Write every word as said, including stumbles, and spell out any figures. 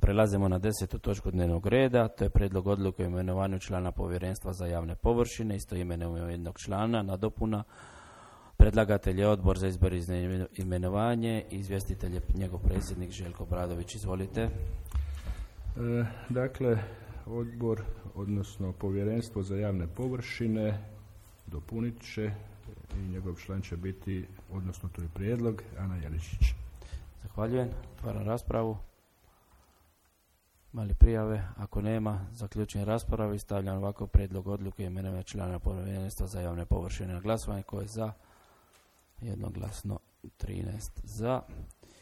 Prelazimo na desetu točku dnevnog reda, to je prijedlog odluke o imenovanju člana povjerenstva za javne površine, isto imenujemo jednog člana, nadopuna. Predlagatelj je odbor za izbor i imenovanje, izvjestitelj je njegov predsjednik Željko Obradović. Izvolite. E, dakle, odbor, odnosno povjerenstvo za javne površine dopunit će i njegov član će biti, odnosno to je prijedlog, Ana Jeličić. Zahvaljujem. Otvaram raspravu. Mali prijave? Ako nema, zaključujem raspravu i stavljam ovako prijedlog odluke imenovanja člana povjerenstva za javne površine na glasovanje. Ko je za? Jednoglasno trinaest za.